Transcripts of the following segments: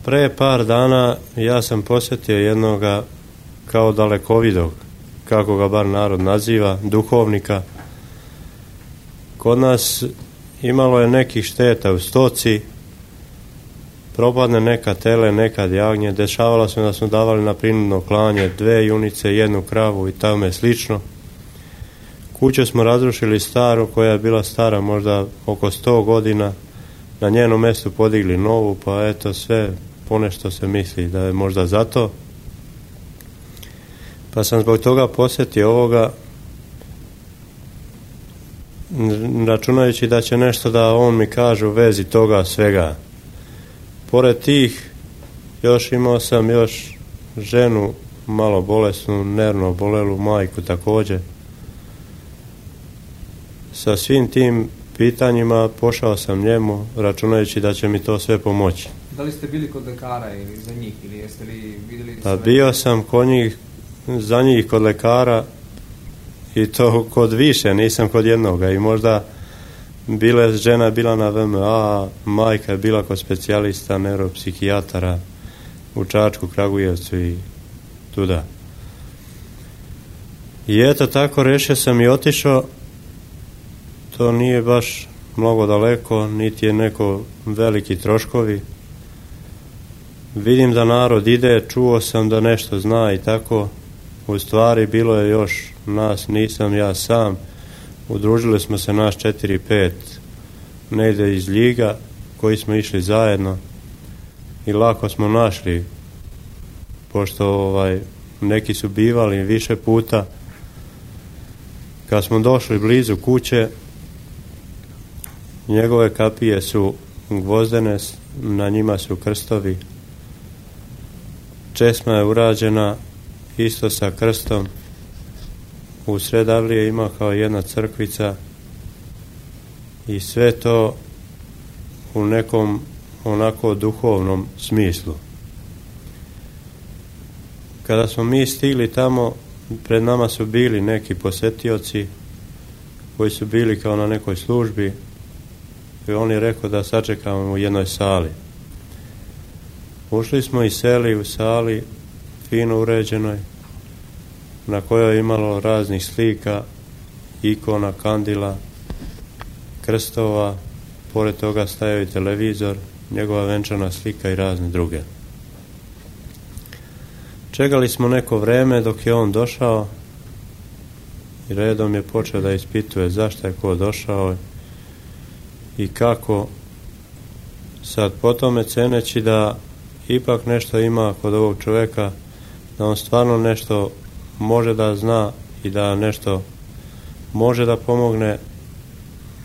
Pre par dana ja sam posjetio jednoga kao dalekovidog, kako ga bar narod naziva, duhovnika. Kod nas imalo je nekih šteta u stoci, propadne neka tele, nekad jagnje, dešavalo se da smo davali na prinudno klanje 2 junice, 1 kravu i tome slično. Kuću smo razrušili staru, koja je bila stara možda oko 100 godina, na njenom mjestu podigli novu, pa eto sve ponešto se misli da je možda zato. Pa sam zbog toga posjetio ovoga, računajući da će nešto da on mi kaže u vezi toga svega. Pored tih, još imao sam još ženu malo bolesnu, nervno obolelu, majku također. Sa svim tim pitanjima pošao sam njemu, računajući da će mi to sve pomoći. Da li ste bili kod lekara ili za njih, ili jeste li vidjeli... Pa bio sam kod njih, za njih kod lekara, i to kod više, nisam kod jednoga, i možda žena je bila na VMA, majka je bila kod specijalista neuropsihijatara u Čačku, Kragujevcu i tuda. I eto tako rešio sam i otišao. To nije baš mnogo daleko, niti je neko veliki troškovi. Vidim da narod ide, čuo sam da nešto zna i tako. U stvari bilo je još nas, nisam ja sam. Udružili smo se nas 4-5 negdje iz Ljiga, koji smo išli zajedno i lako smo našli, pošto neki su bivali više puta. Kad smo došli blizu kuće, njegove kapije su gvozdene, na njima su krstovi. Česma je urađena isto sa krstom. U sred avlije ima kao jedna crkvica i sve to u nekom onako duhovnom smislu. Kada smo mi stigli tamo, pred nama su bili neki posjetioci koji su bili kao na nekoj službi i on je rekao da sačekamo u jednoj sali. Ušli smo i seli u sali fino uređenoj, na kojoj je imalo raznih slika, ikona, kandila, krstova, pored toga stajao i televizor, njegova venčana slika i razne druge. Čekali smo neko vreme dok je on došao i redom je počeo da ispituje zašto je ko došao i kako. Sad po tome ceneći da ipak nešto ima kod ovog čovjeka, da on stvarno nešto može da zna i da nešto može da pomogne,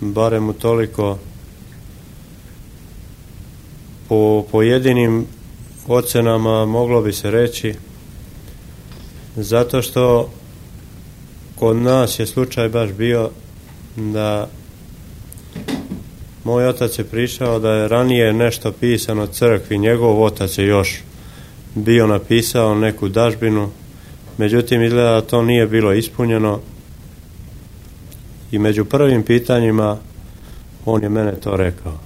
barem u toliko po pojedinim ocenama moglo bi se reći, zato što kod nas je slučaj baš bio da moj otac je pričao da je ranije nešto pisano crkvi, njegov otac je još bio napisao neku dažbinu, međutim izgleda da to nije bilo ispunjeno i među prvim pitanjima on je mene to rekao.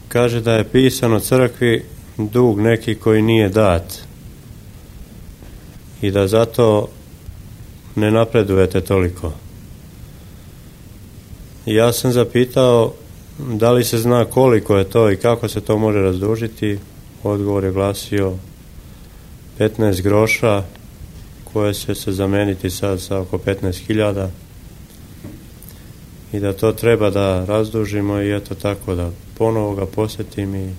Kaže da je pisano crkvi dug neki koji nije dat i da zato ne napredujete toliko. Ja sam zapitao da li se zna koliko je to i kako se to može razdužiti. Odgovor je glasio 15 groša koje će se zameniti sad sa oko 15.000 i da to treba da razdužimo i eto tako da ponovo ga posjetim i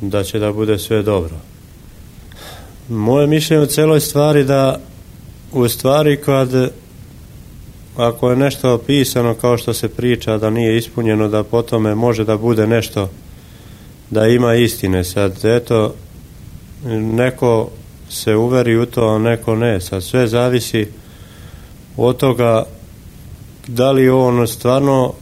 da će da bude sve dobro. Moje mišljenje u celoj stvari da u stvari ako je nešto pisano kao što se priča da nije ispunjeno, da po tome može da bude nešto, da ima istine. Sad eto, neko se uveri u to, a neko ne. Sad sve zavisi od toga da li on stvarno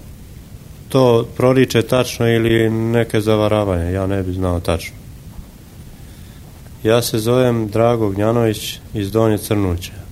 to proriče tačno ili neke zavaravanje. Ja ne bi znao tačno. Ja se zovem Drago Gnjanović iz Donje Crnuće.